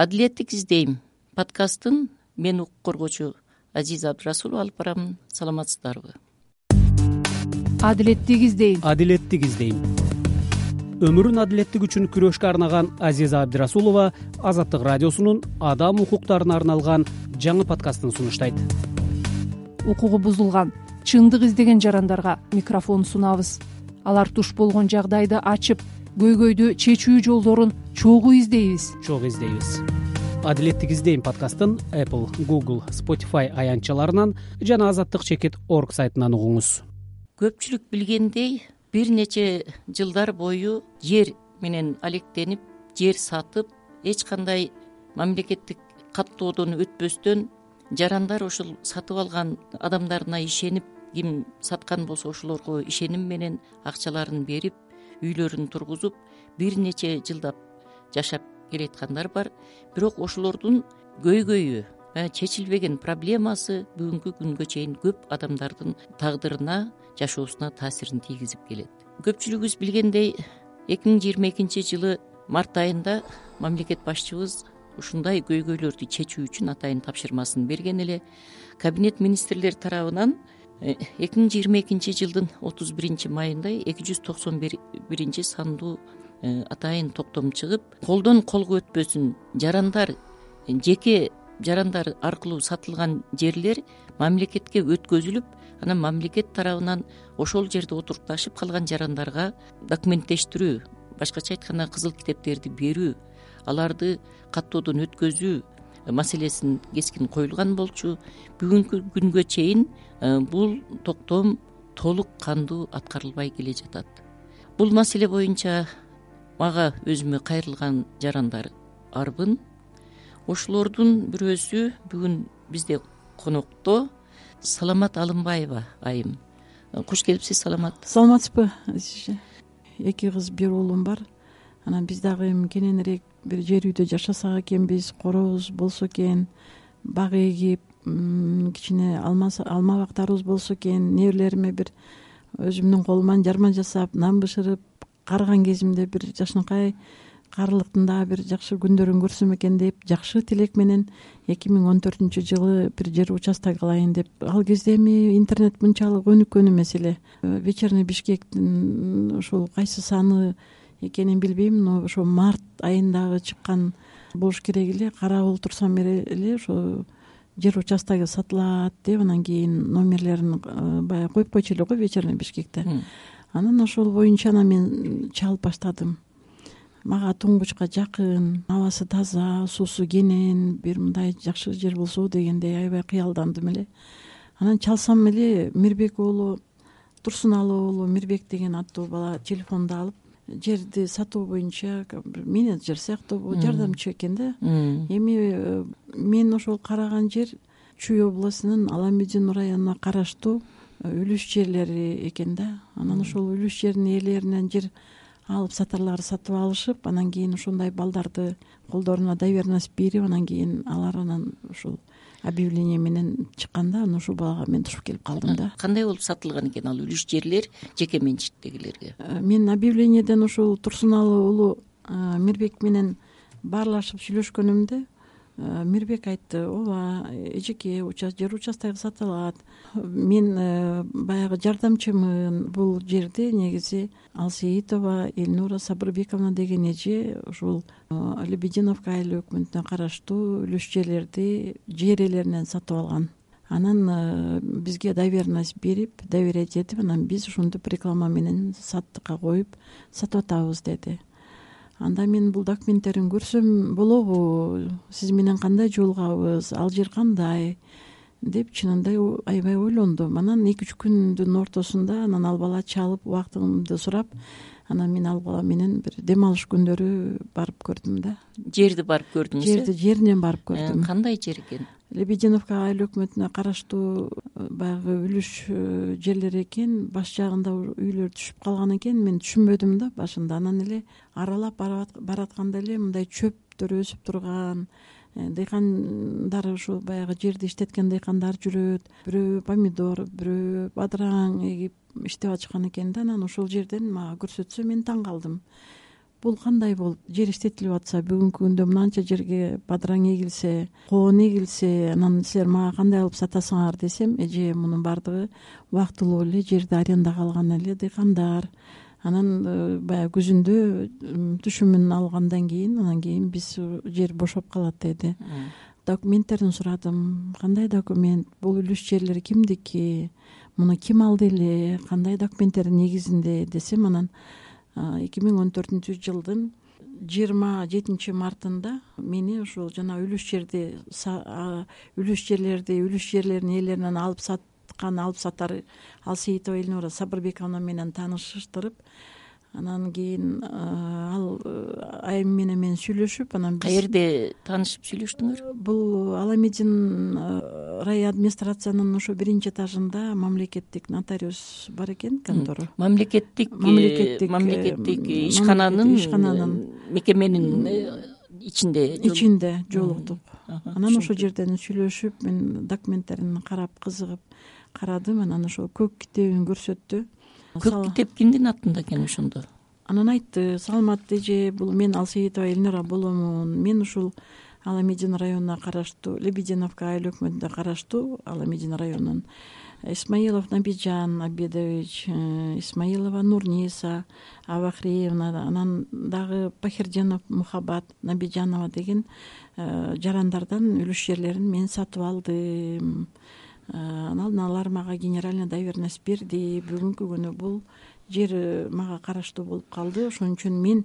Адилеттик издейм подкастын мен укук коргоочу Азиза Абдырасулова алып барамын. Саламатсыздарбы? Адилеттик издейм. Адилеттик издейм. Өмүрүн адилеттик үчүн күрөшкө арнаган Азиза Абдырасулова Азаттык радиосунун адам укуктарына арналган жаңы подкастын сунуштайт. Укугу бузулган, чындык издеген жарандарга микрофон сунабыз. Алар туш болгон жагдайды ачып, көйгөйдү чечүү жолдорун чогуу издейбиз. Адилеттик издейм подкастын Apple, Google, Spotify аянтчаларынан жана azattik.org сайтынан угуңуз. Көпчүлүк билгендей, бир нече жылдар бою жер менен алектенип, жер сатып, эч кандай мамлекеттик каттоодон өтпөстөн жарандар ошол сатып алган адамдарына ишенип, ким саткан болсо ошолорго ишеним менен акчаларын берип, үйлөрүн тургузуп, бир нече жылдап жашап келаткандар бар. Бирок ошолордун көйгөйү, чечилбеген проблемасы бүгүнкү күнгө чейин көп адамдардын тагдырына, жашоосуна таасирин тийгизип келет. Көпчүлүгүбүз билгендей, 2022 жылы март айында мамлекет башчыбыз ушундай көйгөйлөрдү чечүү үчүн атайын тапшырмасын берген эле. Кабинет министрлер тарабынан 2022 жылдын 31 майында 291 сандуу атайын токтом чыгып, колдон колго өтпөсүн жарандар, жеке жарандар аркылуу сатылган жерлер мамлекетке өткөзүлүп, анан мамлекет тарабынан ошол жерде отурукташып калган жарандарга документтештирүү, башкача айтканда кызыл китептерди берүү, аларды каттоодон өткөзүү маселесин кескин коюлган болчу. Бүгүнкү күнгө чейин бул токтом толук кандуу аткарылбай келе жатат. Бул маселе боюнча мага өзүмө кайрылган жарандар арбын. Ошолордун бирөөсү бүгүн бизде конокто Саламат Алымбаева айым. Куш келипсиз, Саламат. Саламатсызбы, Азиже? 2 кыз, 1 уулум бар. Анан биз дагы эми кененирээк бир жер үйдө жашасак экенбиз, коробуз болсо экен, бак эгип, кичине алма бактарыбыз болсо экен, неберелериме бир өзүмдүн колуман жарма жасап, нан бышырып карыган кезимде бир жакшынакай карылыктын дагы бир жакшы күндөрүн көрсөм экен деп жакшы тилек менен 2014 жылы бир жер участок алайын деп. Ал кезде эми интернет мынчалык өнүккөн эмес эле. Вечерный Бишкектин ушул кайсы саны экенин билбейм, но ошо март айындагы чыккан болуш керек эле. Карап олтурсам эле ошо жер участогу сатылат деп, анан кийин номерлерин баягы коюп койчу эле го Вечерный Бишкекте. Анан ошол боюнча анан мен чалып баштадым. Мага туңгучка жакын, абасы таза, суусу кенен, бир мындай жакшы жер болсо дегендей аябай кыялдандым эле. Анан чалсам эле Мирбек уулу, Турсуналы уулу Мирбек деген аттуу бала телефонду алып, жерди сатуу боюнча менеджер сыяктуу жардамчы экен да. Эми мен ошол караган жер Чүй областынын Аламедин районуна караштуу үлүш жерлери экен да. Анан ошол үлүш жердин ээлеринен жер алып сатарлар сатып алышып, анан кийин ошондой балдарды колдоруна доверенность берип, анан кийин алар анан ушул объявление менен чыкканда, анан ушул балага мен тушуп келип калдым да. Кандай болуп сатылган экен ал үлүш жерлер жеке менчиктегилерге? Мен объявлениеден ушул Турсуналы уулу Мирбек менен баарлашып сүйлөшкөнүмдө Мирбек айтты: ооба, эжеке жер участогу сатылат. Мен баягы жардамчымын. Бул жерди негизи Алсеитова Эльнура Сабырбековна деген эже ушул Лебединовка айыл өкмөтүнө караштуу үлүш жерлерди жер ээлеринен сатып алган. Анан бизге доверенность берип, доверять этип, анан биз ушинтип реклама менен саттыкка коюп сатып атабыз деди. Анда мен бул документтерин көрсөм болобу, сиз менен кандай жолугабыз, ал жер кандай деп чынында аябай ойлондум. Анан 2-3 күндүн ортосунда анан ал бала чалып, убактымды сурап, анан мен ал бала менен бир дем алыш күндөрү барып көрдүм да. Жерди барып көрдүңүз? Жеринен барып көрдүм. Кандай жер экен? Лебединовка айыл өкмөтүнө караштуу баягы үлүш жерлери экен. Баш жагында үйлөр түшүп калган экен. Мен түшүнбөдүм да башында. Анан эле аралап баратканда эле мындай чөптөр өсүп турган, дыйкандар, ушул баягы жерди иштеткен дыйкандар жүрөт. Бирөө помидор, бирөө бадыраң эгип иштеп атышкан экен да. Анан ошол жерден мага көрсөтсө мен таң калдым. бул кандай болуп жер иштетилип атса, бүгүнкү күндө мынанча жерге бадыраң эгилсе, коон эгилсе, анан силер мага кандай алып сатасыңар десем, эже мунун баардыгы убактылуу эле жерди арендага алган эле дыйкандар. Анан баягы күзүндө түшүмүн алгандан кийин анан кийин биз жер бошоп калат деди. Документтерин сурадым. Кандай документ? Бул үлүш жерлер кимдики? Муну ким алды эле? Кандай документтердин негизинде десем, анан 2014-жылдын 27-мартында мени ушул жана үлүш жерлердин ээлеринен алып сатар Алсейитова Эльнура Сабырбековна менен таанышыштырып, анан кийин ал айым менен сүйлөшүп, анан биз каерде таанышып сүйлөштүңөр? Бул Аламедин рай администрациянын ошо 1-этажында мамлекеттик нотариус бар экен, контора. Мамлекеттик ишкананын мекеменин ичинде жолуктук. Анан ошол жерден сүйлөшүп, мен документтерин карап кызыгып карадым. Анан ошол көк китебин көрсөттү. Көк китеп кимдин атында экен ошондо? Анан айтты: саламатты эже, бул мен Алсейитова Эльнура боломун. Мен ушул Аламедин районуна караштуу, Лебединовка айыл өкмөтүнө караштуу Аламедин районунун Исмаилов Набиджан Абедович, Исмаилова Нурниса Абахриевна, анан дагы Пахирденов Мухаббат Набиджанова деген жарандардан үлүш жерлерин мен сатып алдым. Анан алар мага генеральный доверенность берди. Бүгүнкү күнү бул жер мага караштуу болуп калды. Ошон үчүн мен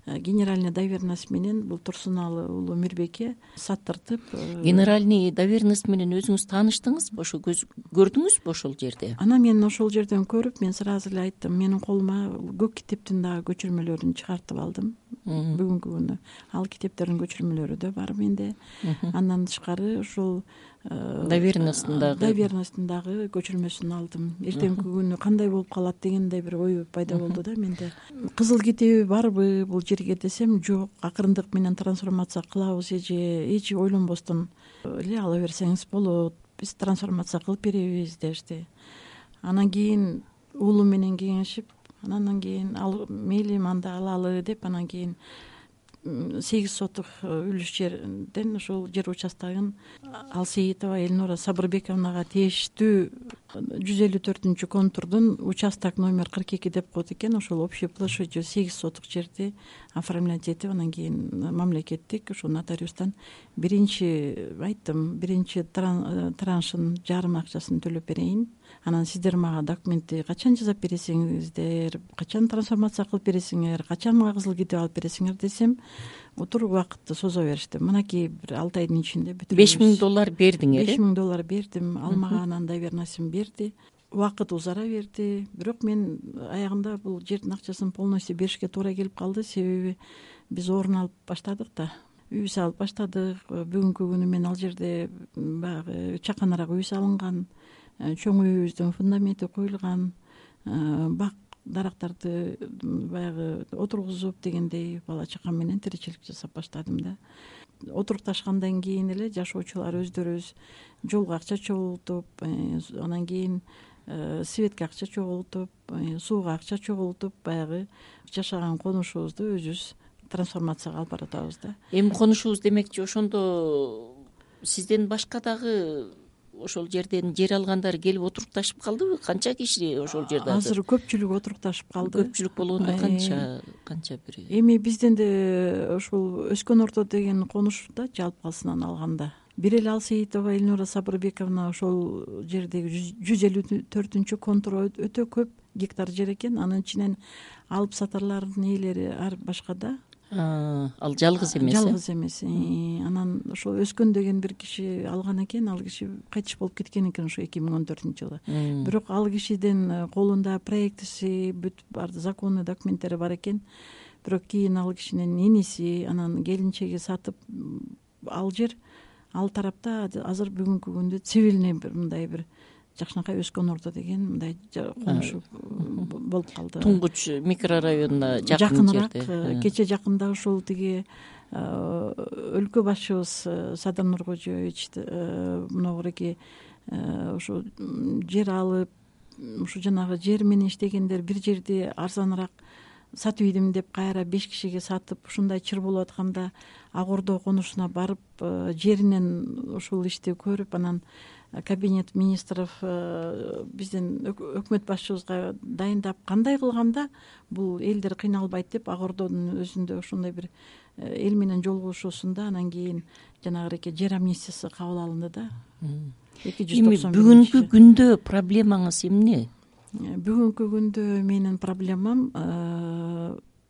генеральный доверенность менен бул Турсуналы уулу Мирбекке саттыртып. Генеральный доверенность менен өзүңүз тааныштыңызбы? Ошо көрдүңүзбү ошол жерде? Анан мен ошол жерден көрүп, мен сразу эле айттым: менин колума көк китептин дагы көчүрмөлөрүн чыгартып алдым. Бүгүнкү күнү ал китептердин көчүрмөлөрү да бар менде. Андан тышкары ушул доверенностьтун дагы көчүрмөсүн алдым. Эртеңки күнү кандай болуп калат дегендей бир ой пайда болду да менде. Кызыл китеби барбы бул жерге десем, жок, акырындык менен трансформация кылабыз эже, эч ойлонбостон эле ала берсеңиз болот, биз трансформация кылып беребиз дешти. Анан кийин уулум менен кеңешип, анан кийин ал мейли мында алалы деп, анан кийин 8 сотук үлүш жерден ушул жер участогун Алсейитова Эльнура Сабырбековнага тиештүү 154 контурдун участок номер 42 деп коет экен. Ошол общий площадью 8 сотук жерди оформлять этип, анан кийин мамлекеттик ушул нотариустан биринчи траншын жарым акчасын төлөп берейин. Анан сиздер мага документти качан жасап бересиңиздер, качан трансформация кылып бересиңер, качан мага кызыл китеп алып бересиңер десем, отур убакытты созо беришти. Мынакей бир 6 айдын ичинде бүтүрөбүз. $5000 бердиңер? $5000 бердим. Ал мага анан доверенностьун берди. Убакыт узара берди. Бирок мен аягында бул жердин акчасын полностью беришке туура келип калды. Себеби биз орун алып баштадык да. Үй салып баштадык. Бүгүнкү күнү мен ал жерде баягы чаканыраак үй салынган, чоң үйүбүздүн фундаменти коюлган, бак дарактарды баягы отургузуп дегендей бала чакам менен тиричилик жасап баштадым да. Отурукташкандан кийин эле жашоочулар өздөрүбүз жолго акча чогултуп, анан кийин светке акча чогултуп, сууга акча чогултуп, баягы жашаган конушубузду өзүбүз трансформацияга алып баратабыз да. Эми конушубуз демекчи, ошондо сизден башка дагы ошол жерден жер алгандар келип отурукташып калдыбы? Канча киши ошол жерде? Азыр көпчүлүк отурукташып калды. Көпчүлүк болгондо канча бир? Эми бизден да ушул Өскөн Орто деген конуш да жалпысынан алганда. Бир эле Алсейитова Эльнура Сабырбековна ошол жердеги 154 контур өтө көп гектар жер экен. Анын ичинен алып сатарлардын ээлери ар башка да. Ал жалгыз эмес? Жалгыз эмес. Анан ошол Өскөн деген бир киши алган экен. Ал киши кайтыш болуп кеткен экен ошо 2014-жылы. Бирок ал кишиден колунда проектиси, бүт бар законный документтери бар экен. Бирок кийин ал кишинин иниси, анан келинчеги сатып ал жер, ал тарапта азыр бүгүнкү күндө цивильный бир мындай бир жакшынакай Өскөн Орто деген мындай конуш болуп калды. Туңгуч микрорайонуна жакыныраак. Кече жакында ушул тиги өлкө башчыбыз Садар Нуркожоевич моногуреки ушу жер алып, ушу жанагы жер менен иштегендер бир жерди арзаныраак сатып ийдим деп кайра 5 кишиге сатып ушундай чыр болуп атканда Ак Ордо конушуна барып жеринен ушул ишти көрүп анан кабинет министров биздин өкмөт башчыбызга дайындап кандай кылганда бул элдер кыйналбайт деп Ак Ордонун өзүндө ошондой бир эл менен жолугушуусунда анан кийин жанагы жер амнистиясы кабыл алынды да. Эми бүгүнкү күндө проблемаңыз эмне? Бүгүнкү күндө менин проблемам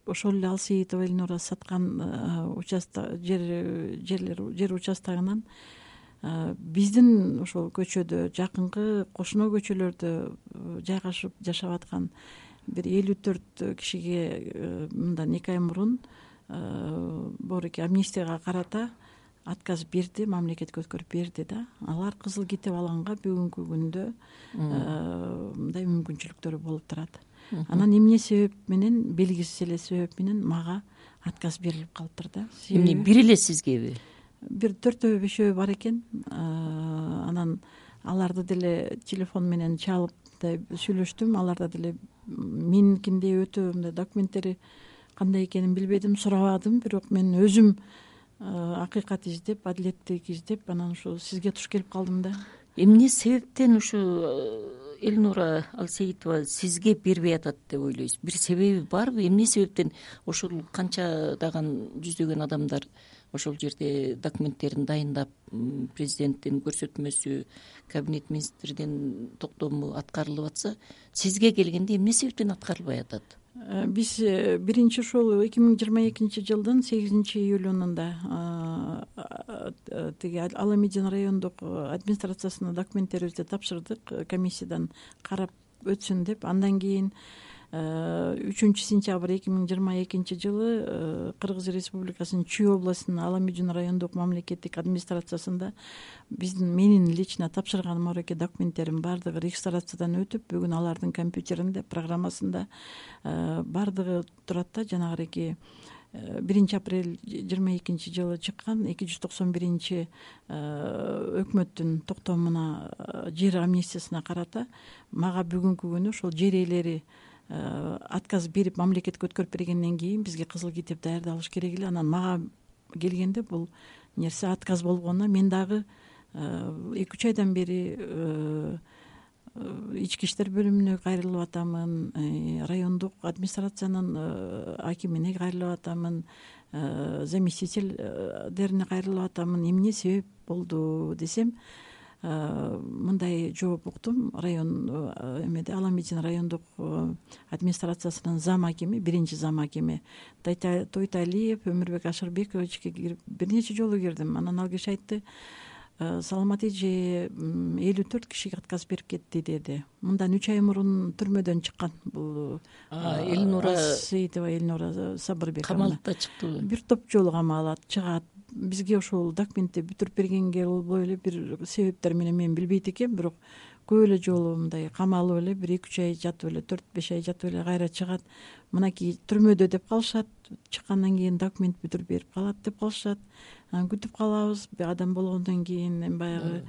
ошол эле Алсейитова Элнура саткан жер участогунан биздин ошол көчөдө жакынкы кошуна көчөлөрдө жайгашып жашап аткан бир 54 кишиге мындан 2 ай мурун бооруки амнистияга карата отказ берди, мамлекетке өткөрүп берди да. Алар кызыл китеп алганга бүгүнкү күндө мындай мүмкүнчүлүктөрү болуп турат. Анан эмне себеп менен, белгисиз эле себеп менен мага отказ берилип калыптыр да. Эмне бир эле сизгеби? Бир 4-5 бар экен. Анан аларды деле телефон менен чалып сүйлөштүм. Аларда деле меникиндей өтө мындай документтери кандай экенин билбедим, сурабадым. Бирок мен өзүм акыйкат издеп, адилеттик издеп анан ушу сизге туш келип калдым да. Эмне себептен ушу Элнура Алсейитова сизге бербей атат деп ойлойсуз? Бир себеби барбы? Эмне себептен ошол канчадаган жүздөгөн адамдар ошол жерде документтерин дайындап, президенттин көрсөтмөсү, кабинет министрдин токтому аткарылып атса, сизге келгенде эмне себептен аткарылбай атат? Биз биринчи ушул 2022 жылдын 8 июлунда тиги Ала Медин райондук администрациясына документтерибизди тапшырдык, комиссиядан карап өтсүн деп. Андан кийин 3 сентябрь 2022 жылы Кыргыз Республикасынын Чүй областынын Ала Медин райондук мамлекеттик администрациясында менин лично тапшырган мореке документтерим баардыгы регистрациядан өтүп, бүгүн алардын компьютеринде, программасында баардыгы турат да. Жанагы 1 апрель 22 жылы чыккан 291 өкмөттүн токтомуна, жер амнистиясына карата мага бүгүнкү күнү ошол жер ээлери отказ берип мамлекетке өткөрүп бергенден кийин бизге кызыл китеп даярдалыш керек эле. Анан мага келгенде бул нерсе отказ болгонуна мен дагы 2-3 айдан бери ички иштер бөлүмүнө кайрылып атамын, райондук администрациянын акимине кайрылып атамын, заместительдерине кайрылып атамын. Эмне себеп болду десем, мындай жооп уктум. Район Ала Медин райондук администрациясынын зам акими, биринчи зам акими Тойталиев Өмүрбек Ашырбековичке бир нече жолу кирдим. Анан ал киши айтты: саламат эже 54 кишиге отказ берип кетти деди. Мындан 3 ай мурун түрмөдөн чыккан бул Элнура Алсейитова Элнура Сабырбековна. Камалда чыктыбы? Бир топ жолу камалат, чыгат. Бизге ошол документти бүтүрүп бергенге болбой эле бир себептер менен мен билбейт экенмин, бирок көп эле жолу мындай камалып эле бир 2-3 ай жатып эле, 4-5 ай жатып эле кайра чыгат. Мынакей түрмөдө деп калышат, чыккандан кийин документ бүтүрүп берип калат деп калышат. Анан күтүп калабыз, адам болгондон кийин эми баягы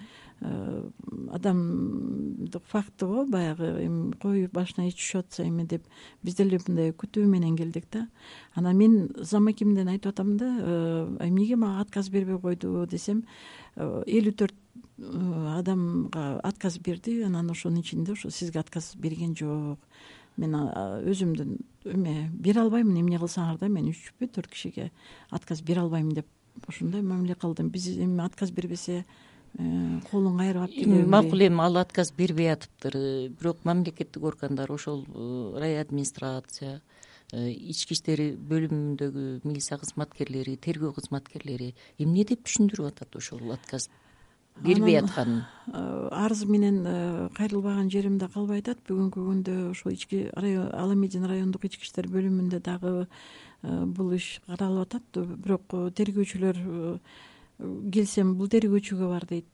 адамдык факты го, баягы эми кой башына ич түшүп атса эме деп биз деле мындай күтүү менен келдик да. Анан мен зам акимден айтып атам да, эмнеге мага отказ бербей койду десем, 54 адамга отказ берди. Анан ошонун ичинде ошо сизге отказ берген жок. Мен өзүмдүн эме бере албаймын, эмне кылсаңар да, мен 3-4 кишиге отказ бере албайм деп ошондой мамиле кылдым. Биз эми отказ бербесе колун кайрып алып макул. Эми ал отказ бербей атыптыр, бирок мамлекеттик органдар, ошол райадминистрация, ички иштер бөлүмүндөгү милиция кызматкерлери, тергөө кызматкерлери эмне деп түшүндүрүп атат ошол отказ бербей атканын? Арыз менен кайрылбаган жеримде калбай атат. Бүгүнкү күндө ошол Ала Медин райондук ички иштер бөлүмүндө дагы бул иш каралып атат. Бирок тергөөчүлөр келсем бул тергөөчүгө бар дейт.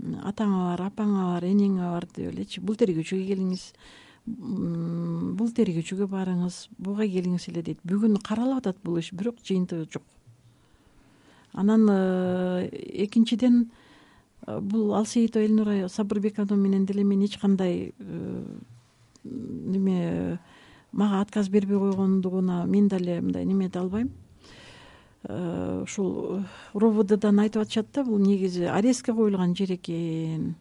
Атаңа бар, апаңа бар, энеңе бар деп элечи. Бул тергөөчүгө келиңиз, бул тергөөчүгө барыңыз, буга келиңиз эле дейт. Бүгүн каралып атат бул иш, бирок жыйынтыгы жок. Анан экинчиден бул Алсейитова Элнура Сабырбековна менен деле мен эч кандай неме мага отказ бербей койгондугуна мен деле мындай неме эте албайм. Ушул РОВДдан айтып атышат да, бул негизи арестке коюлган жер экен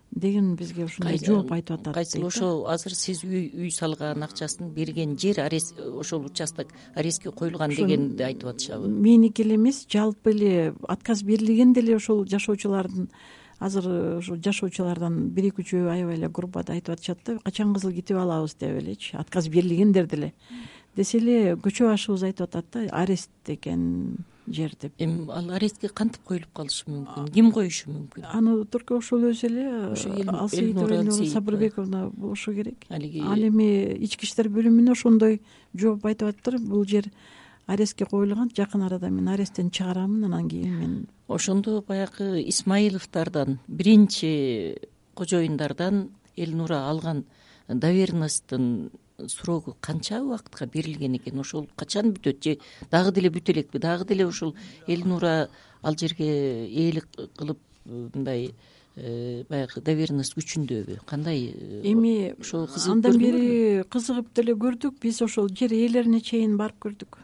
деген бизге ушундай жооп айтып атат. Кайсыл ошол азыр сиз үй салган акчасын берген жер арест, ошол участок арестке коюлган дегенди айтып атышабы? Меники эле эмес, жалпы эле отказ берилген деле ошол жашоочулардын, азыр ошо жашоочулардан 1-2 аябай эле группада айтып атышат да, качан кызыл китеп алабыз деп элечи, отказ берилгендер деле десе эле көчө башыбыз айтып атат да, арест экен жер деп. Эми ал арестке кантип коюлуп калышы мүмкүн, ким коюшу мүмкүн? Аны турку ошол өзү эле Алсейитова Сабырбековна болушу керек. Ал эми ички иштер бөлүмүнө ошондой жооп айтып атыптыр, бул жер арестке коюлган, жакын арада мен аресттен чыгарамын, анан кийин мен. Ошондо баягы Исмаиловдордон, биринчи кожоюндардан Элнура алган доверенностьтун срогу канча убакытка берилген экен? Ошол качан бүтөт же дагы деле бүтө элекпи? Дагы деле ушул Элнура ал жерге ээлик кылып мындай баягы доверенность күчүндөбү? Кандай? Эми ошол андан бери кызыгып деле көрдүк, биз ошол жер ээлерине чейин барып көрдүк.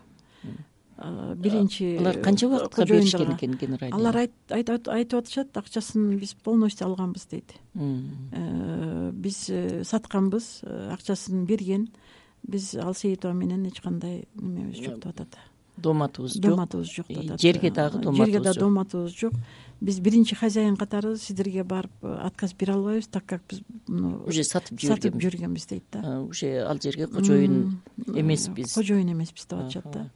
Биринчи алар канча убакытка беришкен экен генеральный? Алар айтып атышат, акчасын биз полностью алганбыз дейт. Биз сатканбыз, акчасын берген. Биз Алсейитова менен эч кандай немебиз жок деп атат. Доматыбыз жок. Доматыбыз жок деп атат. Жерге дагы доматыбыз жок. Биз биринчи хозяин катары сиздерге барып отказ бере албайбыз, так как биз уже сатып жүргөнбүз дейт да. Уже ал жерге кожоюн эмеспиз. Кожоюн эмеспиз деп атышат да.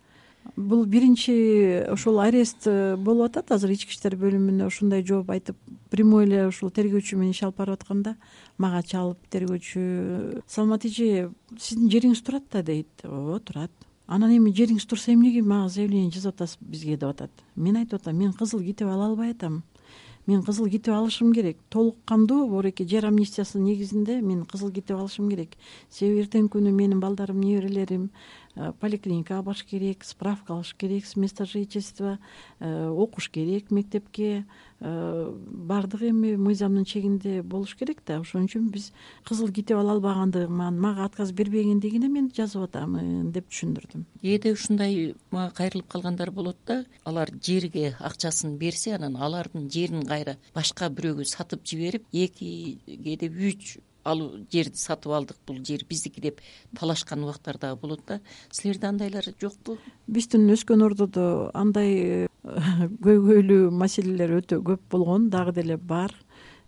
Бул биринчи ошол арест болуп атат. Азыр ички иштер бөлүмүнө ушундай жооп айтып, прямой эле ушул тергөөчү менен иш алып барып атканда мага чалып тергөөчү: Салмат эже, сиздин жериңиз турат да дейт. Ооба, турат. Анан эми жериңиз турса эмнеге мага заявление жазып атасыз бизге деп атат. Мен айтып атам, мен кызыл китеп ала албай атам. Мен кызыл китеп алышым керек. Толук кандуу бореке жер амнистиясынын негизинде мен кызыл китеп алышым керек. Себеби эртеңки күнү менин балдарым, неберелерим поликлиникага барыш керек, справка алыш керек, с места жительства, окуш керек мектепке, баардыгы эми мыйзамдын чегинде болуш керек да. Ошон үчүн биз кызыл китеп ала албагандыгыман, мага отказ бербегендигине мен жазып атамын деп түшүндүрдүм. Кээде ушундай мага кайрылып калгандар болот да, алар жерге акчасын берсе, анан алардын жерин кайра башка бирөөгө сатып жиберип, кээде 3 жерди сатып алдык, бул жер биздики деп талашкан убактар дагы болот да. Силерде андайлар жокпу? Биздин өскөн ордодо андай көйгөйлүү маселелер өтө көп болгон, дагы деле бар.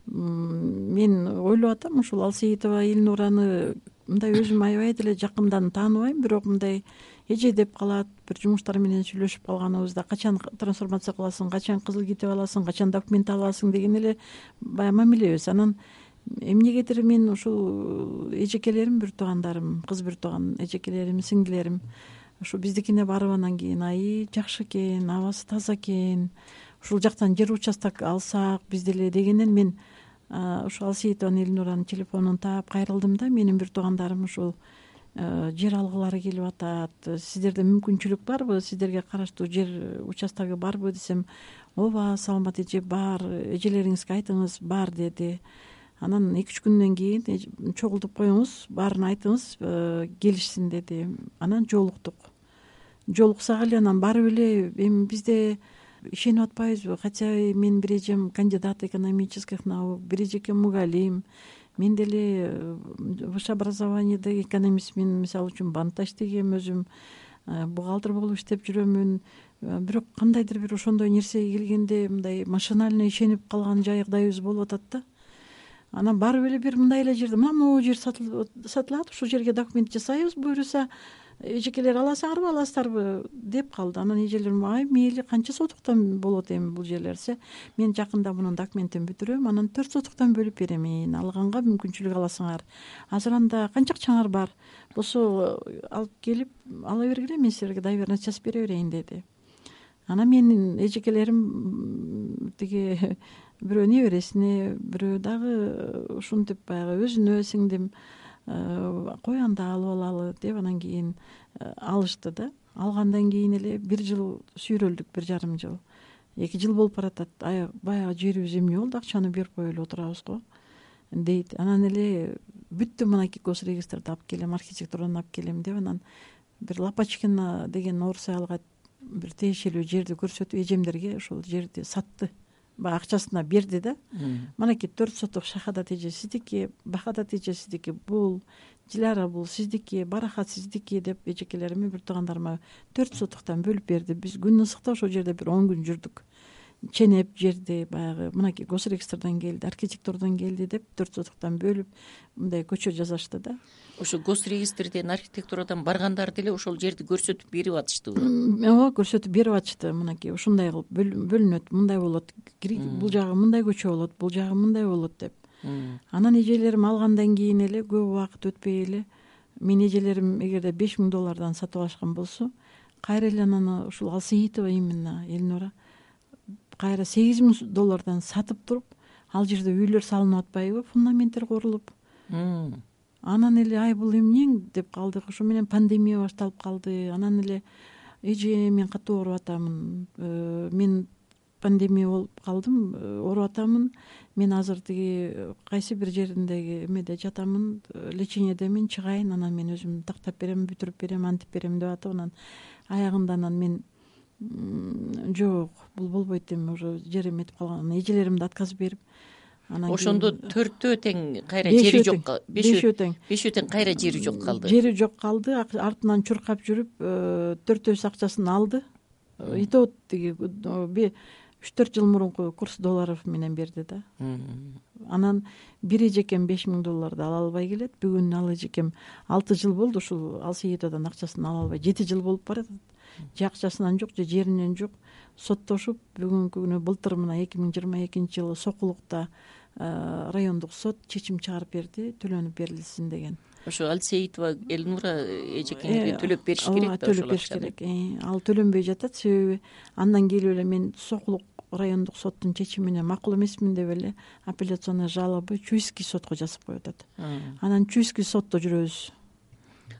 Мен ойлоп атам, ушул Алсейитова Элнураны мындай өзүм аябай деле жакындан тааныбайм, бирок мындай эже деп калат, бир жумуштар менен сүйлөшүп калганыбызда качан трансформация кыласың, качан кызыл китеп аласың, качан документ аласың деген эле баягы мамилебиз. Анан эмнегедир мен ушул эжекелерим, бир туугандарым, кыз бир тууган эжекелерим, сиңдилерим ушу биздикине барып анан кийин жакшы экен, абасы таза экен, ушул жактан жер участок алсак биз деле дегенден мен ушул Алсейитова Элнуранын телефонун таап кайрылдым да. Менин бир туугандарым ушул жер алгылары келип атат, сиздерде мүмкүнчүлүк барбы, сиздерге караштуу жер участогу барбы десем, ооба Салмат эже бар, эжелериңизге айтыңыз бар деди. Анан 2-3 күндөн кийин чогултуп коюңуз, баарын айтыңыз, келишсин деди. Анан жолуксак эле анан барып эле эми бизде ишенип атпайбызбы, хотя мен бир эжем кандидат экономических наук, бир эжеке мугалим, мен деле высшее образованиеде экономист, мен мисалы үчүн банкта иштегем, өзүм бухгалтер болуп иштеп жүрөмүн. Бирок кандайдыр бир ошондой нерсеге келгенде мындай машинально ишенип калган жагдайыбыз болуп атат да. Анан барып эле бир мындай эле жерде могу жер сатылат, ушул жерге документ жасайбыз, буюрса эжекелер аласыңарбы деп калды. Анан эжелерим мейли, канча сотуктан болот эми бул жерлерсе, мен жакында мунун документин бүтүрөм, анан 4 сотуктан бөлүп беремин, алганга мүмкүнчүлүк аласыңар. Азыр анда канча акчаңар бар болсо алып келип ала бергиле, мен силерге доверенность жазып бере берейин деди. Анан менин эжекелерим тиги бирөө небересине, бирөө дагы ушинтип баягы өзүнө сиңдим, кой анда алып алалы деп анан кийин алышты да. Алгандан кийин эле 1 жыл сүйрөлдүк, 1,5 жыл. 2 жыл болуп баратат. Баягы жерибиз эмне болду, акчаны берип коюп эле отурабыз го. дейт. Анан эле бүттү, мынакей госрегистрди алып келем, архитектураны алып келем деп, анан бир Лопачкина деген орус айылга бир тиешелүү жерди көрсөтүп, эжемдерге ошол жерди сатты, баягы акчасына берди да. Мынакей 4 соток шахадат эже сиздики, бахадат эже сиздики, бул Диляра бул сиздики, Барахат сиздики деп эжекелериме, бир туугандарыма 4 сотуктан бөлүп берди. Биз күн ысыкта ошол жерде бир 10 күн жүрдүк. Ченеп жерди баягы мынакей госрегистрден келди, архитектурдан келди деп 4 сотуктан бөлүп мындай көчө жасашты да. Ошо госрегистрден, архитектурадан баргандар деле ошол жерди көрсөтүп берип атыштыбы? Ооба, көрсөтүп берип атышты. Мынакей ушундай кылып бөлүнөт, мындай болот, бул жагы мындай көчө болот, бул жагы мындай болот деп. Анан эжелерим алгандан кийин эле көп убакыт өтпөй эле мен эжелерим эгерде $5000 сатып алышкан болсо, кайра эле анан ушул Алсейитова именно Элнура кайра $8000 сатып туруп, ал жерде үйлөр салынып атпайбы, фундаменттер курулуп. Анан эле ай бул эмнең деп калдык. Ошо менен пандемия башталып калды. Анан эле эже мен катуу ооруп атамын, мен пандемия болуп калдым, ооруп атамын, мен азыр тиги кайсы бир жериндеги эмеде жатамын, лечениедемин, чыгайын, анан мен өзүм тактап берем, бүтүрүп берем, антип берем деп атып, анан аягында анан мен жок, бул болбойт эми, уже жер эметип калган. Эжелеримди отказ берип, анан ошондо 4-төө тең кайра жери жок, 5-өө тең кайра жери жок калды. Жери жок калды. Артынан чуркап жүрүп 4-өөсү акчасын алды. И то тиги 3-4 жыл мурунку курс долларов менен берди да. Анан бир эжекем $5000 ала албай келет. Бүгүн ал эжекем 6 жыл болду ушул Алсейитодан акчасын ала албай, 7 жыл болуп баратат. Же акчасынан жок, же жеринен жок. Соттошуп бүгүнкү күнү былтыр мына 2022-жылы Сокулукта райондук сот чечим чыгарып берди, төлөнүп берилсин деген. Ошо Алсейитова Элнура эжекеңерге төлөп бериш керек да, төлөп бериш керек. Ал төлөнбөй жатат, себеби андан келип эле мен Сокулук райондук соттун чечимине макул эмесмин деп эле апелляционный жалобы Чуйский сотко жазып коюп атат. Анан Чуйский сотто жүрөбүз.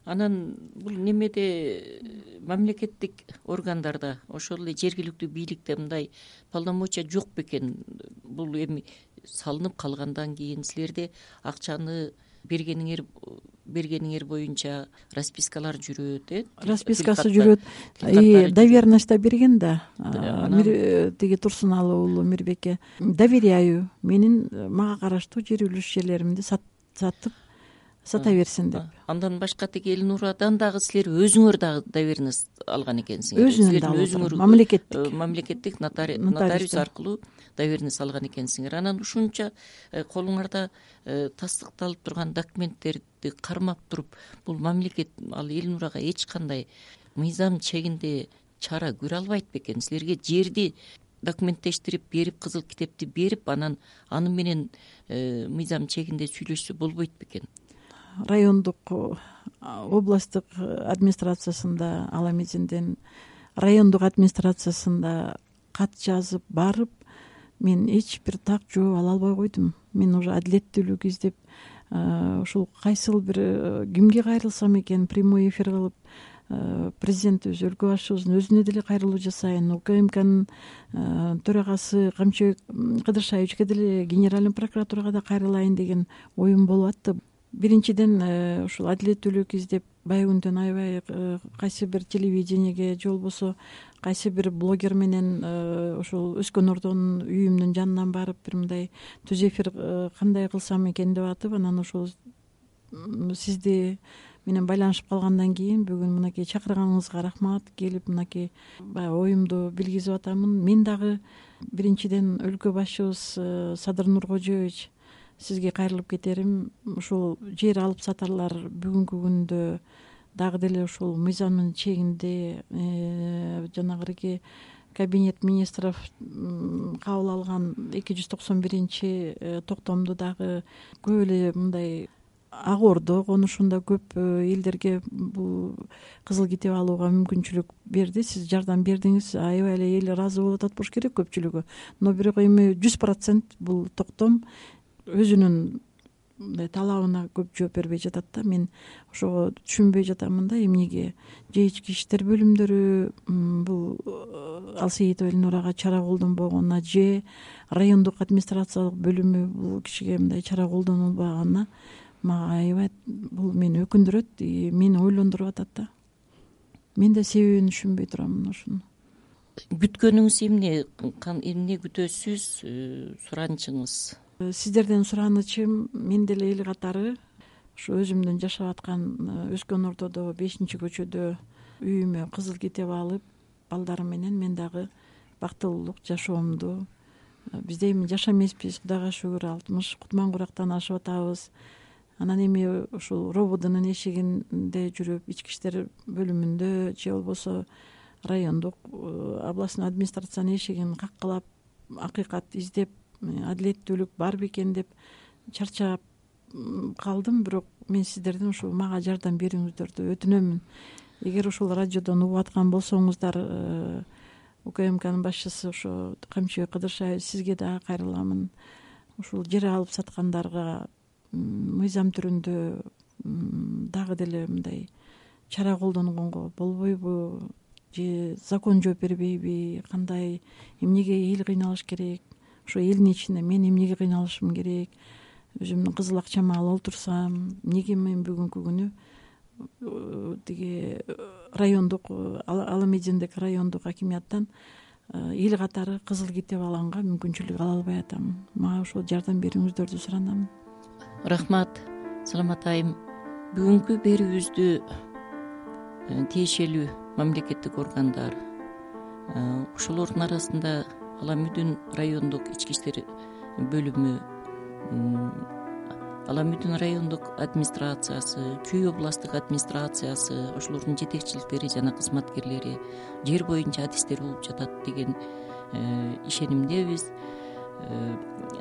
Анан бул немеде мамлекеттик органдарда, ошол эле жергиликтүү бийликте мындай полномочия жок бекен? Бул эми салынып калгандан кийин силерде акчаны бергениңер боюнча распискалар жүрөт, распискасы жүрөт. Доверенность берген да. Тиги Турсуналуу уулу Мирбекке доверяю, мага караштуу жер үлүш жерлеримди сата берсин деп. Андан башка тиги Элнурадан дагы силер өзүңөр дагы доверенность алган экенсиңер. Өзүңөр мамлекеттик нотариус аркылуу доверенность алган экенсиңер. Анан ушунча колуңарда тастыкталып турган документтерди кармап туруп, бул мамлекет ал Элнурага эч кандай мыйзам чегинде чара көрө албайт бекен? Силерге жерди документтештирип берип, кызыл китепти берип, анан аны менен мыйзам чегинде сүйлөшсө болбойт бекен? Райондук областтык администрациясында, ал эмесинден райондук администрациясында кат жазып барып, мен эч бир так жооп ала албай койдум. Мен уже адилеттүүлүк издеп, ушул кайсыл бир кимге кайрылсам экен, прямой эфир кылып, президентибиз, өлкө башчыбыздын өзүнө деле кайрылуу жасайын, УКМКнын төрагасы Камчыбек Кыдыршаевичке деле, генеральный прокуратурага да кайрылайын деген оюм болуп атты. Биринчиден ушул адилеттүүлүк издеп, байкүндөн аябай кайсы бир телевидениеге же болбосо кайсы бир блогер менен ушул Өскөн Ордонун үйүмдүн жанынан барып, бир мындай түз эфир кандай кылсам экен деп атып, анан ошол сизди менен байланышып калгандан кийин бүгүн мынакей чакырганыңызга рахмат, келип мынакей баягы оюмду билгизип атамын. Мен дагы биринчиден өлкө башчыбыз Садыр Нуркожоевич, сизге кайрылып кетерим, ушул жер алып сатарлар бүгүнкү күндө дагы деле ушул мыйзамдын чегинде жанагырки кабинет министров кабыл алган 291 токтомду дагы көп эле мындай Ак Ордо конушунда көп элдерге бул кызыл китеп алууга мүмкүнчүлүк берди. Сиз жардам бердиңиз, аябай эле эл ыраазы болуп атат болуш керек көпчүлүгү. Но бирок эми 100% бул токтом өзүнүн мындай талабына көп жооп бербей жатат да. Мен ошого түшүнбөй жатамын да, эмнеге же ички иштер бөлүмдөрү бул Алсейитова Эльнурага чара колдонбогонуна, же райондук администрациялык бөлүмү бул кишиге мындай чара колдонулбаганына мага аябай бул мени өкүндүрөт, мени ойлондуруп атат да. Мен да себебин түшүнбөй турам ушуну. Күткөнүңүз эмне күтөсүз, суранычыңыз? Сиздерден суранычым, мен деле эл катары ушу өзүмдүн жашап аткан өскөн ортодо 5-көчөдө үйүмө кызыл китеп алып, балдарым менен мен дагы бактылуулук жашоомду, бизде эми жаш эмеспиз, Кудайга шүгүр, 60 кутман курактан ашып атабыз. Анан эми ушул рободунун эшигинде жүрүп, ички иштер бөлүмүндө же болбосо райондук областной администрациянын эшигин каккылап, акыйкат издеп, адилеттүүлүк бар бекен деп чарчап калдым. Бирок мен сиздерден ушул мага жардам берүүңүздөрдү өтүнөмүн. Эгер ушул радиодон угуп аткан болсоңуздар, УКМКнын башчысы ошо Камчыбек Кыдыршаев, сизге дагы кайрыламын. Ушул жер алып саткандарга мыйзам түрүндө дагы деле мындай чара колдонгонго болбойбу, же закон жооп бербейби, кандай, эмнеге эл кыйналыш керек, ошо элдин ичинде мен эмнеге кыйналышым керек, өзүмдүн кызыл акчамы алып отурсам, эмнеге мен бүгүнкү күнү тиги райондук Аламединдеги райондук акимияттан эл катары кызыл китеп алганга мүмкүнчүлүк ала албай атам. Мага ошол жардам берүүңүздөрдү суранам. Рахмат, Саламат айым. Бүгүнкү берүүбүздү тиешелүү мамлекеттик органдар, ошолордун арасында Аламүдүн райондук ички иштер бөлүмү, Аламүдүн райондук администрациясы, Чүй областтык администрациясы, ошолордун жетекчиликтери жана кызматкерлери жер боюнча адистер болуп жатат деген ишенимдебиз.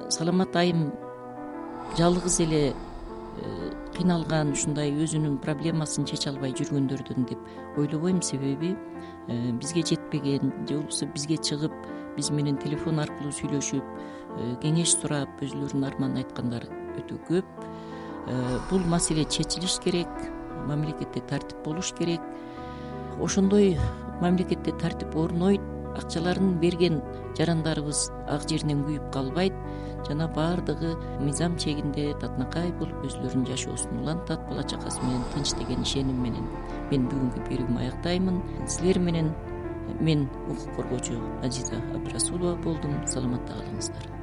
Саламат айым жалгыз эле кыйналган, ушундай өзүнүн проблемасын чече албай жүргөндөрдөн деп ойлобойм. Себеби бизге жетпеген же болбосо бизге чыгып, биз менен телефон аркылуу сүйлөшүп, кеңеш сурап, өзүлөрүнүн арманын айткандар өтө көп. Бул маселе чечилиш керек, мамлекетте тартип болуш керек. Ошондой мамлекетте тартип орнойт, акчаларын берген жарандарыбыз ак жеринен күйүп калбайт жана баардыгы мыйзам чегинде татынакай болуп өзүлөрүнүн жашоосун улантат, бала чакасы менен тынч деген ишеним менен мен бүгүнкү берүүмү аяктаймын. Силер менен мен укук коргоочу Азиза Абдрасулова болдум. Саламатта калыңыздар.